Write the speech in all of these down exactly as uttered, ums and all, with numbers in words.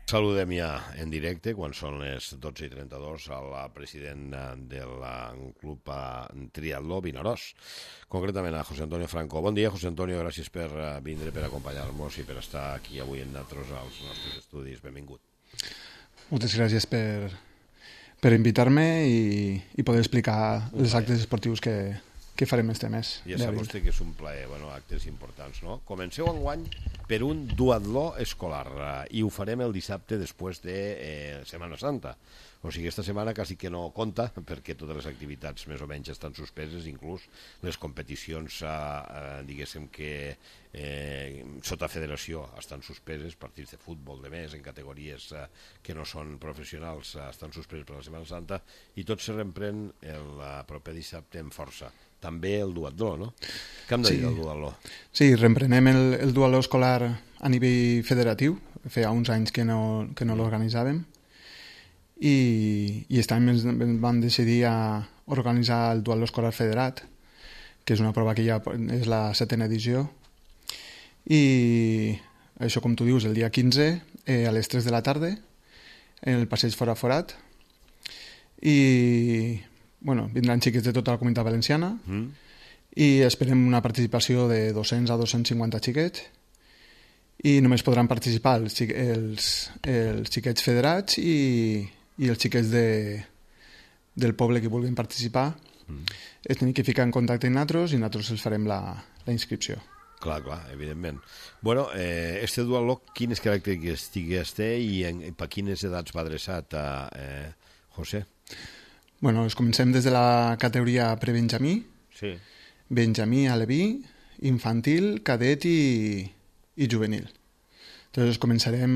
Saludem ja en directe, quan són les dotze i trenta-dos, al president del club Triatló Vinaròs, concretament a José Antonio Franco. Bon dia, José Antonio, gràcies per vindre, per acompanyar-nos i per estar aquí avui amb nosaltres als nostres estudis. Benvingut. Moltes gràcies per, per invitar-me i, i poder explicar els actes esportius que, que farem este mes. Ja sap vostè que és un plaer, bueno, actes importants, no? Comenceu enguany per un duatló escolar i ho farem el dissabte després de eh, Setmana Santa. O sigui, aquesta setmana quasi que no compta perquè totes les activitats més o menys estan suspeses, inclús les competicions, eh, diguéssim que eh, sota federació estan suspeses, partits de futbol, de més, en categories eh, que no són professionals, eh, estan suspeses per la Setmana Santa i tot se reprèn el eh, proper dissabte amb força. També el duatló, no? Què hem de dir del duatló? Sí, reprenem el, el duatló escolar a nivell federatiu. Feia uns anys que no, que no l'organitzàvem. I, i aquest any vam decidir a organitzar el duatló escolar federat, que és una prova que ja és la setena edició. I això, com tu dius, el dia quinze, eh, a les tres de la tarda, en el passeig Fora Forat. I bueno, vindran xiquets de tota la comunitat valenciana mm. i esperem una participació de dos-cents a dos-cents cinquanta xiquets i només podran participar els, els, els xiquets federats i, i els xiquets de, del poble que vulguin participar. Mm. Es tenen que ficar en contacte amb nosaltres i nosaltres els farem la, la inscripció. Clar, clar, evidentment. Bueno, eh, este duatló, quines característiques té i en, per quines edats va adreçat a eh, José? Bueno, comencem des de la categoria prebenjamí, sí. benjamí, aleví, infantil, cadet i, i juvenil. Entonces començarem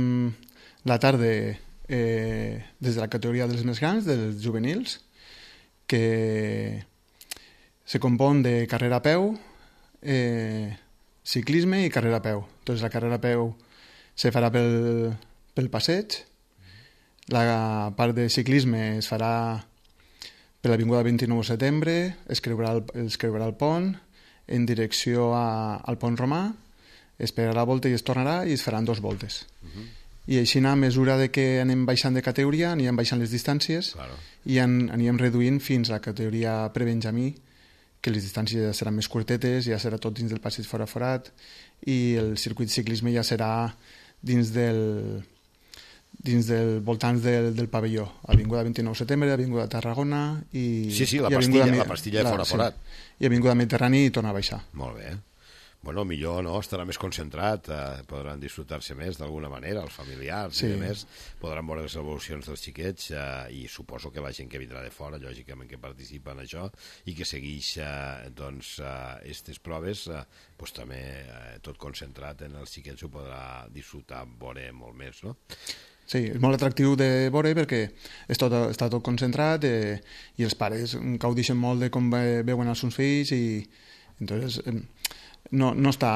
la tarda eh, des de la categoria dels més grans, dels juvenils, que se compon de carrera a peu, eh, ciclisme i carrera a peu. Entonces la carrera a peu se farà pel, pel passeig, la part de ciclisme es farà per l'avinguda vint-i-nou de setembre, es creurà el, es creurà el pont en direcció a, al pont romà, es pegarà la volta i es tornarà i es faran dues voltes. Uh-huh. I així, a mesura de que anem baixant de categoria, anirem baixant les distàncies claro. I an, anirem reduint fins a la categoria prebenjamí, que les distàncies ja seran més curtetes, ja serà tot dins del passeig Fora Forat i el circuit ciclisme ja serà dins del... dins del voltants del, del pavelló, Avinguda vint-i-nou de setembre, Avinguda Tarragona i... Sí, sí, la pastilla, la pastilla de Fora Forat. Sí, i Avinguda Mediterrani i torna a baixar. Molt bé. Bueno, millor, no? Estarà més concentrat, eh, podran disfrutar-se més d'alguna manera, els familiars sí. I demés, podran veure les evolucions dels xiquets eh, i suposo que la gent que vindrà de fora, lògicament que participa en això i que segueix eh, doncs, eh, estes proves, eh, pues, també eh, tot concentrat en els xiquets ho podrà disfrutar, veure molt més, no? Sí, és molt atractiu de veure perquè és tot, està tot concentrat eh, i els pares gaudeixen molt de com ve, veuen els seus fills i entonces, eh, no, no està...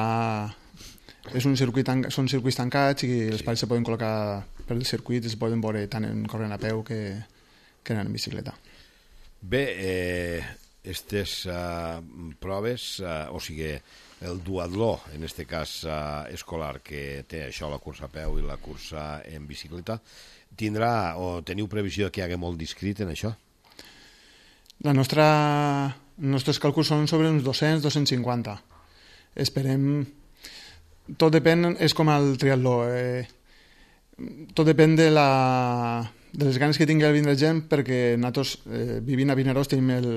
És un circuit tan, són circuits tancats i els sí. Pares se poden col·locar per el circuit i es poden veure tant en corrent a peu que, que en bicicleta. Bé, eh, aquestes uh, proves, uh, o sigui... el duatló, en este cas eh, escolar, que té això, la cursa a peu i la cursa en bicicleta, tindrà o teniu previsió que hi hagi molt d'inscrit en això? La nostra... Els nostres càlculs són sobre uns dos-cents a dos-cents cinquanta. Esperem... Tot depèn, és com el triatló. Eh... Tot depèn de, la... de les ganes que tingui el vindre gent, perquè nosaltres, eh, vivint a Vinaròs, tenim el,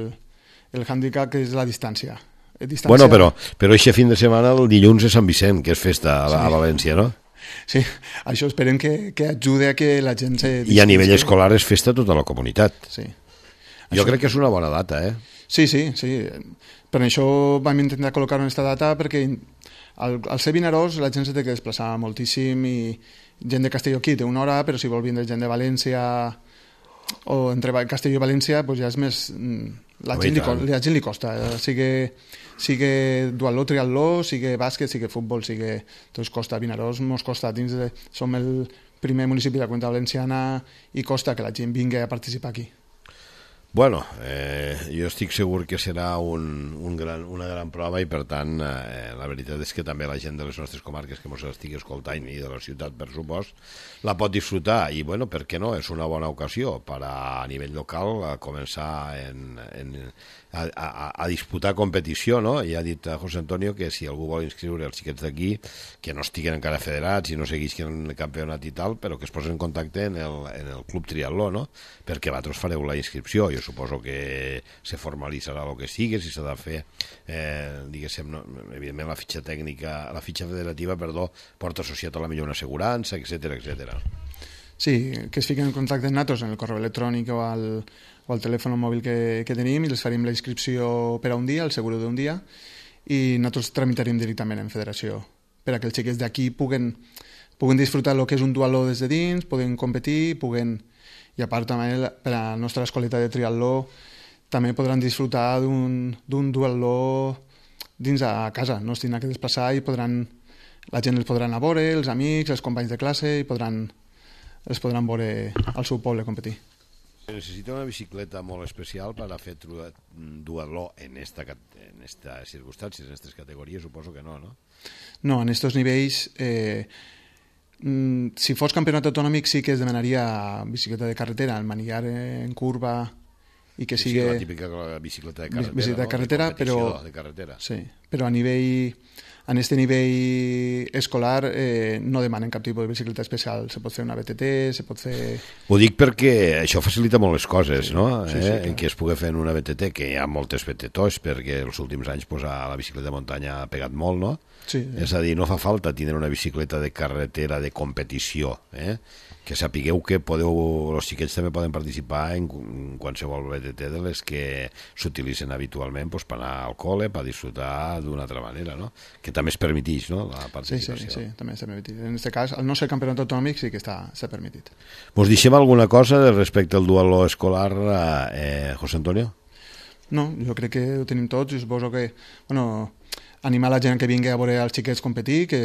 el hàndicap que és la distància. Distància... Bueno, però, però aquest fin de setmana el dilluns és Sant Vicent, que és festa a, sí. a València, no? Sí, això esperem que, que ajude a que la gent se... I a nivell escolar és festa tota la comunitat. Sí. Jo això... crec que és una bona data, eh? Sí, sí, sí. Per això vam intentar col·locar en aquesta data perquè al, al ser Vinaròs la gent se té que desplaçar moltíssim i gent de Castelló aquí té una hora, però si vol vindre gent de València o entre Castelló i València doncs ja és més... La gent, li, la gent li costa, eh? sigui, sigui duatló, triatló, sigui bàsquet, sigui futbol, sigui... Doncs costa, Vinaròs mos costa, dins de... som el primer municipi de la Comunitat Valenciana i costa que la gent vingui a participar aquí. Bueno, eh, jo estic segur que serà un, un gran, una gran prova i per tant eh, la veritat és que també la gent de les nostres comarques que ens estigui escoltant i de la ciutat per supost la pot disfrutar i bueno, per què no? És una bona ocasió per a, a nivell local a començar en, en, a, a, a disputar competició, no? I ha dit a José Antonio que si algú vol inscriure els xiquets d'aquí que no estiguen encara federats i no seguisquen el campionat i tal, però que es posen en contacte en el, en el Club Triatló, no? Perquè vosaltres fareu la inscripció. Jo suposo que se formalitzarà el que sigui, si s'ha de fer, eh, diguéssim, no? Evidentment la fitxa tècnica, la fitxa federativa, perdó, porta associat a la millor una assegurança, etcètera, etcètera. Sí, que es fiquen en contacte amb nosaltres en el correu electrònic o al, o al telèfon mòbil que, que tenim i els farem la inscripció per a un dia, el seguro d'un dia, i nosaltres tramitarem directament en federació per a que els xiquets d'aquí puguen, puguen disfrutar el que és un duatló des de dins, puguen competir, puguen... I a part també per a la nostra escoleta de triatló també podran disfrutar d'un duatló dins a casa, no es tindran que desplaçar i podran, la gent els podrà anar a veure, els amics, els companys de classe, i podran, els podran veure al seu poble competir. Necessita una bicicleta molt especial per a fer duatló en esta, en esta circumstàncies, en aquestes categories, suposo que no, no? No, en aquests nivells... Eh, si fos campionat autonòmic sí que es demanaria bicicleta de carretera, el manillar en curva i que sigui... Sí, la típica bicicleta de carretera, bicicleta de carretera, no? De però, de carretera. Sí, però a nivell... En este nivell escolar eh, no demanen cap tipus de bicicleta especial. Se pot fer una B T T, se pot fer... Ho dic perquè això facilita molt les coses, sí, no? Sí, eh? sí, en què es pugui fer en una B T T, que hi ha moltes B T Ts, perquè els últims anys pues, a la bicicleta de muntanya ha pegat molt, no? Sí, sí. És a dir, no fa falta tindre una bicicleta de carretera de competició, eh? Que sapigueu que podeu, els xiquets també poden participar en qualsevol B T T de les que s'utilitzen habitualment pues, per anar al col·le, per disfrutar d'una altra manera, no? Que també es permetix, no?, la participació. Sí, sí, sí, també està permitit. En aquest cas, el nostre campionat autonòmic sí que està, està permitit. Vos deixem alguna cosa respecte al duatló escolar, eh, José Antonio? No, jo crec que ho tenim tots i suposo que, bueno, animar la gent que vingui a veure els xiquets competir, que,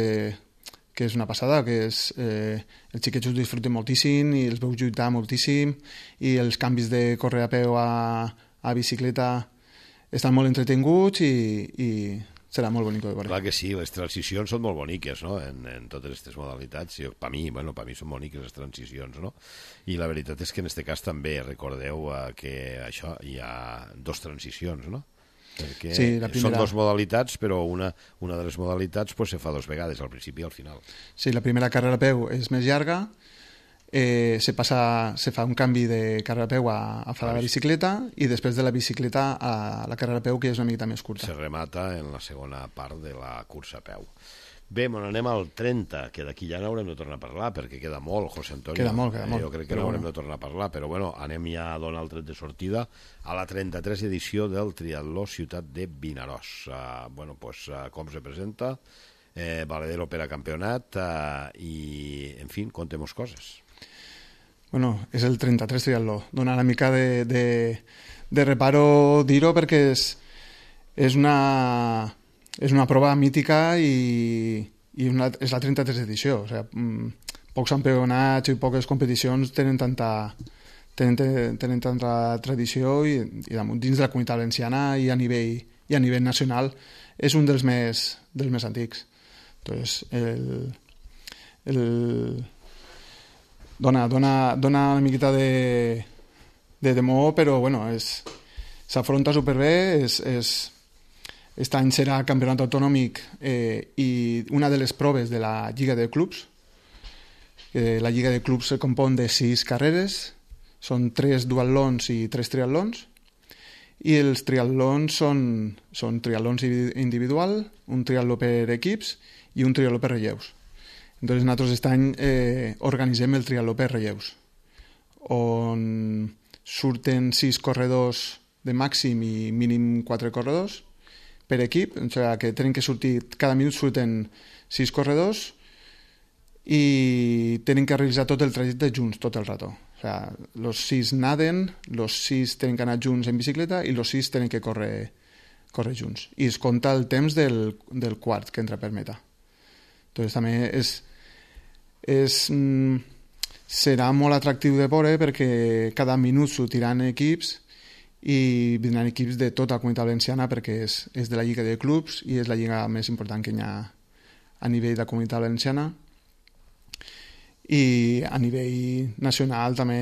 que és una passada, que és, eh, els xiquets ho disfruten moltíssim i els veus lluitar moltíssim i els canvis de córrer a peu a, a bicicleta estan molt entretinguts i, i serà molt bonic de veure. Clar que sí, les transicions són molt boniques, no?, en, en totes aquestes modalitats. Per mi, bueno, per mi són boniques les transicions, no? I la veritat és que en aquest cas també recordeu eh, que això hi ha dos transicions, no? Perquè sí, la primera... són dues modalitats, però una, una de les modalitats pues, se fa dues vegades, al principi i al final. Sí, la primera carrera a peu és més llarga, eh, se, passa, se fa un canvi de carrera a peu a, a fer la bicicleta i després de la bicicleta a la carrera a peu, que és una mica més curta. Se remata en la segona part de la cursa a peu. Bé, bueno, anem al trenta, que d'aquí ja n'haurem de tornar a parlar, perquè queda molt, José Antonio. Queda molt, queda molt. Jo crec que no haurem de tornar a parlar, però bueno, anem ja a donar el tret de sortida a la trenta-tres edició del Triatló Ciutat de Vinaròs. Uh, bueno, pues, uh, com se presenta, eh, Valedero per a campionat, uh, i, en fi, contem-nos coses. Bueno, és el trenta-tres Triatló. Dona una mica de, de, de reparo dir-ho perquè és, és una... és una prova mítica i, i una, és la trenta-tres edició. O sigui, pocs campionats i poques competicions tenen tanta, tenen, tenen tanta tradició i, i dins de la comunitat valenciana i a nivell, i a nivell nacional és un dels més, dels més antics. Entonces, el, el, dona, dona, dona una miqueta de, de temor, però bueno, s'afronta superbé, és... és Aquest any serà campionat autonòmic eh, i una de les proves de la Lliga de Clubs. Eh, la Lliga de Clubs se compon de sis carreres, són tres duatlons i tres triatlons, i els triatlons són, són triatlons individual, un triatló per equips i un triatló per relleus. Entonces nosaltres aquest any eh, organitzem el triatló per relleus, on surten sis corredors de màxim i mínim quatre corredors, per equip, o sigui que tenen que sortir, cada minut surten sis corredors i tenen que realitzar tot el trajecte junts, tot el rato. O sigui, los sis naden, los sis tenen que anar junts en bicicleta i los sis tenen que córrer, córrer junts. I es compta el temps del, del quart que entra per meta. Entonces també és, és, mm, serà molt atractiu de veure perquè cada minut sortiran equips i vindran equips de tota la Comunitat Valenciana perquè és, és de la Lliga de Clubs i és la lliga més important que hi ha a nivell de Comunitat Valenciana. I a nivell nacional també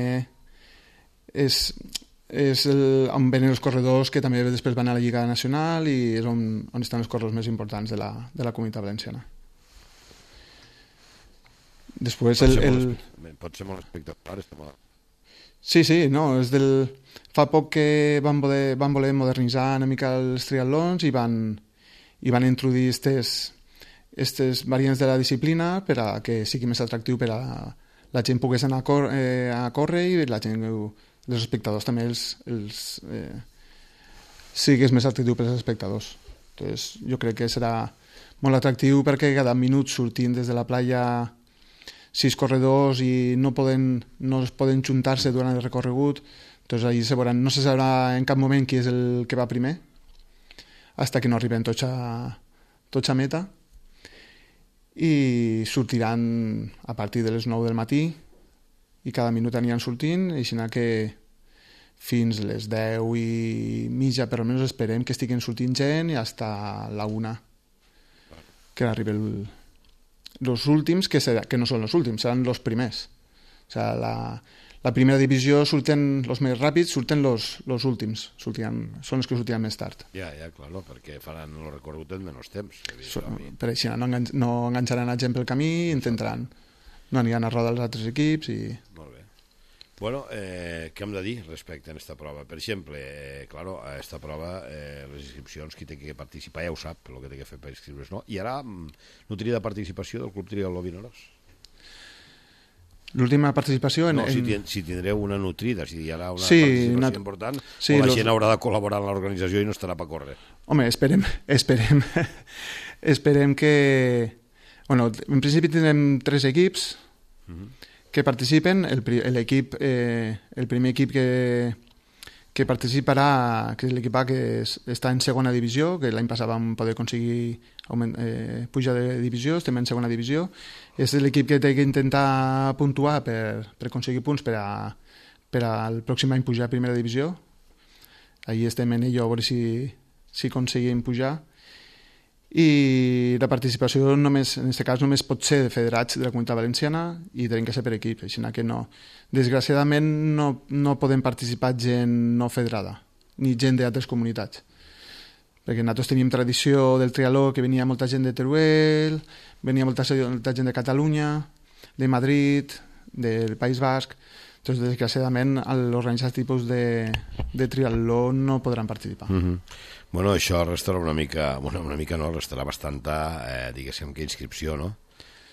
és, és el, on venen els corredors que també després van a la Lliga Nacional i és on, on estan els corredors més importants de la, de la Comunitat Valenciana. Després pot, el, ser el... molt, pot ser molt espectacular. Molt... Sí, sí, no, és del... fa poc que van voler, van voler modernitzar una mica els triatlons i van, i van introduir aquestes aquestes variants de la disciplina per a que sigui més atractiu per a la gent pogués anar a, cor eh, a córrer i la gent, els espectadors també els, els eh, sigués més atractiu per als espectadors. Entonces, jo crec que serà molt atractiu perquè cada minut sortint des de la playa sis corredors i no poden, no es poden juntar-se durant el recorregut, doncs allí se veuran, no se sabrà en cap moment qui és el que va primer fins que no arriben tots a, tots a meta i sortiran a partir de les nou del matí i cada minut aniran sortint, així que fins les deu i mitja per almenys esperem que estiguin sortint gent i fins a la una que arriben els últims, que, serà, que no són els últims, seran els primers. O sigui, la, la primera divisió surten els més ràpids, surten els últims, sortiran, són els que sortiran més tard. Ja, ja, clar, perquè faran el recorregut en menys temps. So, per això no, engan no enganxaran a gent pel camí, intentaran, no aniran a rodar els altres equips i... Molt bé. Bueno, eh, què hem de dir respecte a aquesta prova? Per exemple, eh, claro, a aquesta prova eh, les inscripcions, qui té que participar ja ho sap, el que té que fer per inscriure's, no? I ara, nutria de participació del Club Triatló Vinaròs? L'última participació... En, no, si, en... si tindreu una nutrida, si hi haurà una sí, participació nat... important, sí, o la los... gent haurà de col·laborar en l'organització i no estarà per córrer. Home, esperem, esperem, esperem que... Bueno, en principi tindrem tres equips uh-huh. que participen. L'equip, eh, el primer equip que, que participarà, que és l'equip A, que és, està en segona divisió, que l'any passat vam poder aconseguir augment, eh, pujar de divisió, estem en segona divisió. És l'equip que té que intentar puntuar per, per aconseguir punts per, a, per al pròxim any pujar a primera divisió. Allí estem en ello a veure si, si aconseguim pujar. I la participació només, en aquest cas només pot ser de federats de la Comunitat Valenciana i tenen que ser per equip, així que no. Desgraciadament no, no podem participar gent no federada, ni gent d'altres comunitats. Perquè nosaltres teníem tradició del triatló que venia molta gent de Teruel, venia molta, molta gent de Catalunya, de Madrid, del País Basc. Entonces, desgraciadament, l'organitzar tipus de, de triatló no podran participar. Mm-hmm. Bueno, això restarà una mica, bueno, una mica no, restarà bastanta, eh, diguéssim, que inscripció, no?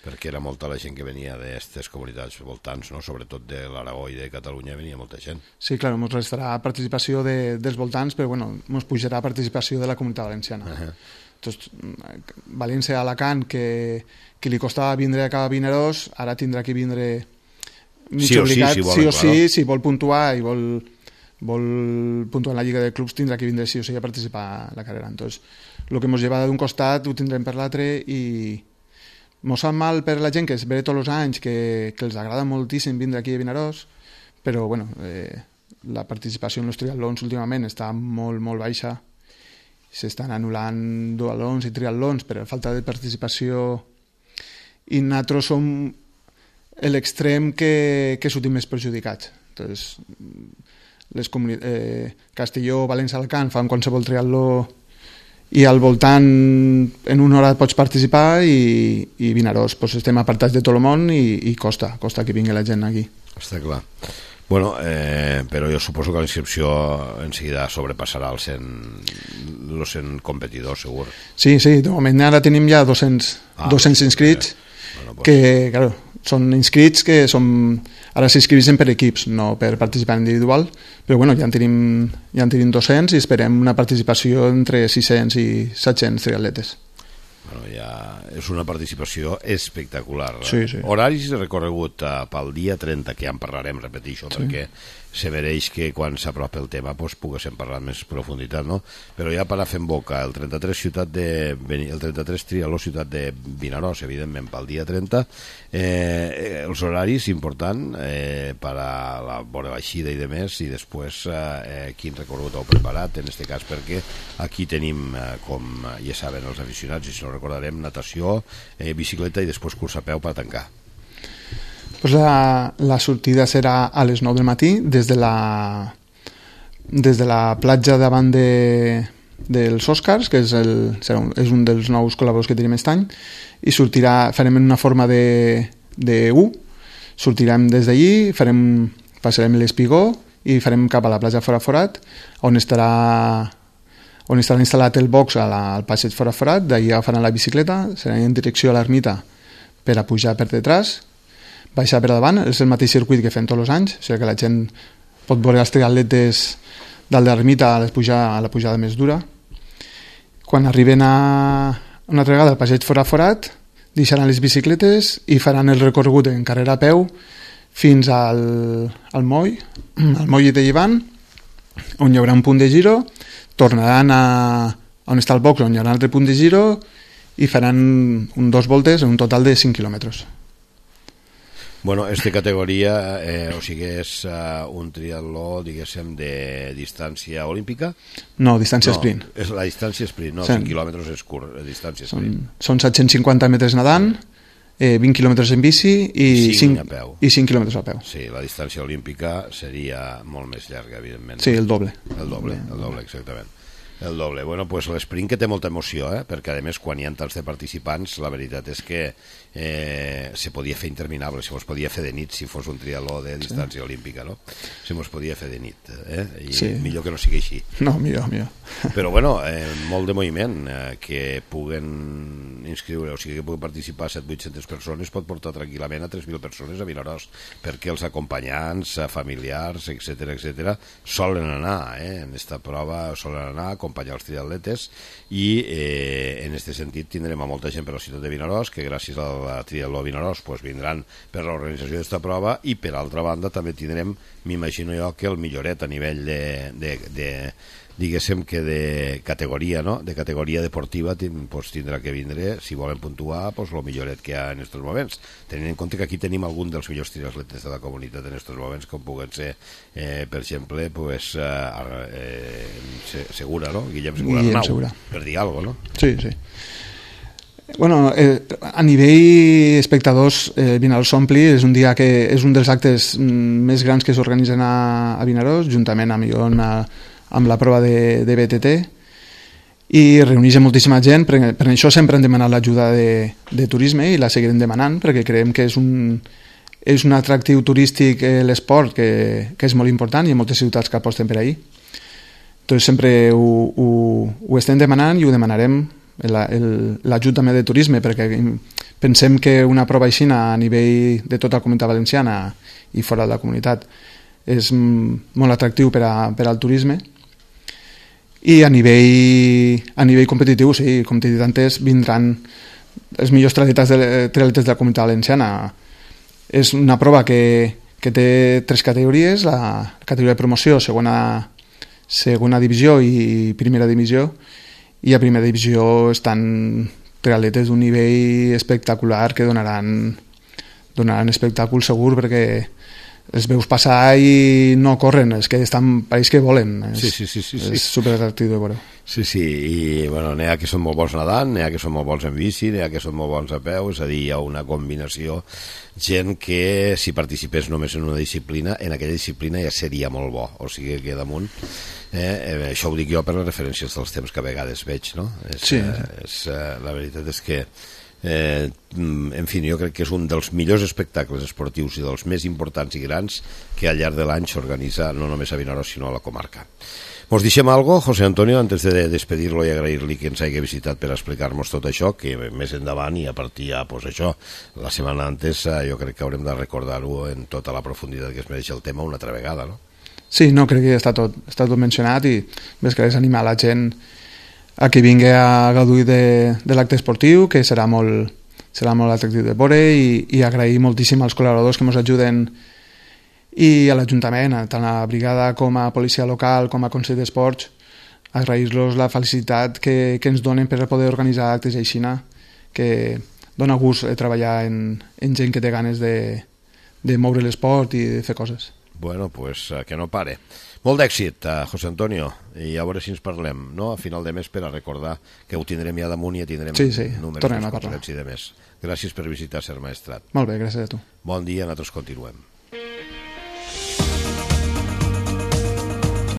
Perquè era molta la gent que venia d'aquestes comunitats voltants, no? Sobretot de l'Aragó i de Catalunya venia molta gent. Sí, clar, ens restarà participació de, dels voltants, però bueno, ens pujarà participació de la Comunitat Valenciana. Uh-huh. Entonces, València a Alacant, que, que li costava vindre a cada Vinaròs, ara tindrà que vindre mig sí obligat, sí, si, sí o claro. sí, si vol puntuar i vol, vol puntuar en la Lliga de Clubs, tindrà que vindre sí o sí a participar a la carrera. Entonces, el que ens lleva d'un costat ho tindrem per l'altre i mos sap mal per la gent que es ve tots els anys, que, que els agrada moltíssim vindre aquí a Vinaròs, però bueno, eh, la participació en els triatlons últimament està molt, molt baixa. S'estan anul·lant duatlons i triatlons per falta de participació i nosaltres som l'extrem que, que sortim més perjudicats. Entonces, les eh, Castelló, València, Alacant fan qualsevol triatló i al voltant en una hora pots participar i, i Vinaròs, pues estem apartats de tot el món i, i costa, costa que vingui la gent aquí. Està clar. Bueno, eh, però jo suposo que la inscripció en seguida sobrepassarà els cent, els cent competidors, segur. Sí, sí, de moment ara tenim ja dos-cents, ah, dos-cents inscrits, eh, bueno, pues... que, claro, són inscrits que som, ara s'inscriveixen per equips, no per participar individual, però bueno, ja en tenim, ja en tenim dos-cents i esperem una participació entre sis-cents i set-cents triatletes. Bueno, ja és una participació espectacular. Sí, sí. Horaris de recorregut uh, pel dia trenta, que ja en parlarem, repeteixo, sí. Perquè se mereix que quan s'apropa el tema pues, poguéssim parlar més profunditat, no? Però ja per a fer en boca el trenta-tres ciutat de el trenta-tres Trialó ciutat de Vinaròs, evidentment pel dia trenta, eh, els horaris important eh, per a la vora baixida i de més, i després eh, quin recorregut heu preparat en este cas, perquè aquí tenim eh, com ja saben els aficionats, i si no recordarem, natació, eh, bicicleta i després curs a peu per tancar. Pues la, la sortida serà a les nou del matí des de la, des de la platja davant de, dels Oscars, que és, el, serà un, és un dels nous col·laboradors que tenim aquest any, i sortirà, farem en una forma de, de U, sortirem des d'allí, farem, passarem l'Espigó i farem cap a la platja Fora Forat, on estarà on estarà instal·lat el box a la, al passeig Fora Forat, d'allà faran la bicicleta, serà en direcció a l'ermita per a pujar per detrás, baixar per davant, és el mateix circuit que fem tots els anys, o sigui que la gent pot veure els triatletes dalt de l'ermita a, a la pujada més dura. Quan arriben a una altra vegada al passeig Fora Forat, deixaran les bicicletes i faran el recorregut en carrera a peu fins al, al moll, al moll de Llevant, on hi haurà un punt de giro, tornaran a on està el box, on hi haurà un altre punt de giro, i faran un, dos voltes en un total de cinc quilòmetres. Bueno, esta categoria, eh, o sigui, és uh, un triatló, diguéssim, de distància olímpica? No, distància no, sprint. És la distància sprint, no, sí. cinc quilòmetres és curt, distància sprint. Són, són set-cents cinquanta metres nedant, eh, vint quilòmetres en bici i cinc, a peu. I cinc quilòmetres a peu. Sí, la distància olímpica seria molt més llarga, evidentment. Sí, el doble. El doble, el doble, exactament. El doble. Bueno, pues l'esprint que té molta emoció, eh? Perquè a més quan hi ha tants de participants, la veritat és que eh, se podia fer interminable, se mos podia fer de nit si fos un triatló de distància sí. olímpica, no? Se mos podia fer de nit, eh? I sí. millor que no sigui així. No, millor, millor. Però bueno, eh, molt de moviment, eh, que puguen inscriure, o sigui que puguen participar set cents vuit-centes persones, pot portar tranquil·lament a tres mil persones a Vinaròs, perquè els acompanyants, familiars, etcètera, etcètera, solen anar, eh? En esta prova solen anar, acompanyar els triatletes, i eh, en aquest sentit tindrem a molta gent per la ciutat de Vinaròs, que gràcies a la Triatló Vinaròs pues, vindran per l'organització d'esta prova, i per altra banda també tindrem, m'imagino jo, que el milloret a nivell de, de, de diguéssim que de categoria, no? De categoria deportiva pues, tindrà que vindre, si volen puntuar, pues, el milloret que hi ha en aquests moments, tenint en compte que aquí tenim algun dels millors triatletes de la comunitat en aquests moments, com puguen ser, eh, per exemple, pues, eh, eh, Segura, no? Guillem Segura Guillem Arnau, Segura. Per dir alguna cosa, no? Sí, sí. Bueno, eh, a nivell espectadors, eh, Vinaròs s'ompli, és un dia que és un dels actes mm, més grans que s'organitzen a, a Vinaròs, juntament amb Ion, a, amb la prova de, de B T T, i reuneix moltíssima gent. Per, per això sempre hem demanat l'ajuda de, de turisme i la seguirem demanant, perquè creiem que és un, és un atractiu turístic eh, l'esport que, que és molt important, i hi ha moltes ciutats que aposten per ahir. Entonces sempre ho, ho, ho estem demanant i ho demanarem, l'ajut també de turisme, perquè pensem que una prova així a nivell de tota la comunitat valenciana i fora de la comunitat és molt atractiu per, a, per al turisme. I a nivell, a nivell competitiu, sí, com t'he dit antes, vindran els millors triatletes de, triatletes de la comunitat valenciana. És una prova que, que té tres categories, la categoria de promoció, segona, segona divisió i primera divisió, i a primera divisió estan triatletes d'un nivell espectacular que donaran, donaran espectacle segur, perquè els veus passar i no corren, és que estan, pareix que volen. És, sí, sí, sí, sí, sí. És superatractiu de veure. Sí, sí, i bueno, n'hi ha que són molt bons nedant, n'hi ha que són molt bons en bici, n'hi ha que són molt bons a peu, és a dir, hi ha una combinació, gent que si participés només en una disciplina, en aquella disciplina ja seria molt bo, o sigui que damunt, eh, eh, això ho dic jo per les referències dels temps que a vegades veig, no? És, sí. eh, és, eh, la veritat és que Eh, en fi, jo crec que és un dels millors espectacles esportius i dels més importants i grans que al llarg de l'any s'organitza no només a Vinaròs sinó a la comarca. Mos deixem algo, José Antonio, antes de despedir-lo i agrair-li que ens hagi visitat per explicar-nos tot això, que més endavant i a partir ja, pues això, la setmana antes jo crec que haurem de recordar-ho en tota la profunditat que es mereix el tema una altra vegada, no? Sí, no, crec que està tot, està tot mencionat, i més que res animar la gent a que vingui a gaudir de, de l'acte esportiu, que serà molt, serà molt atractiu de veure, i, i agrair moltíssim als col·laboradors que ens ajuden i a l'Ajuntament, tant a la brigada com a policia local com a Consell d'Esports, agrair-los la felicitat que, que ens donen per poder organitzar actes així, que dona gust treballar en, en gent que té ganes de, de moure l'esport i de fer coses. Bueno, pues que no pare. Molt d'èxit, José Antonio, i a veure si ens parlem, no?, a final de mes, per a recordar que ho tindrem ja damunt i ja tindrem sí, sí, números tornem a parlar. I de més. Gràcies per visitar Ser Maestrat. Molt bé, gràcies a tu. Bon dia, nosaltres continuem.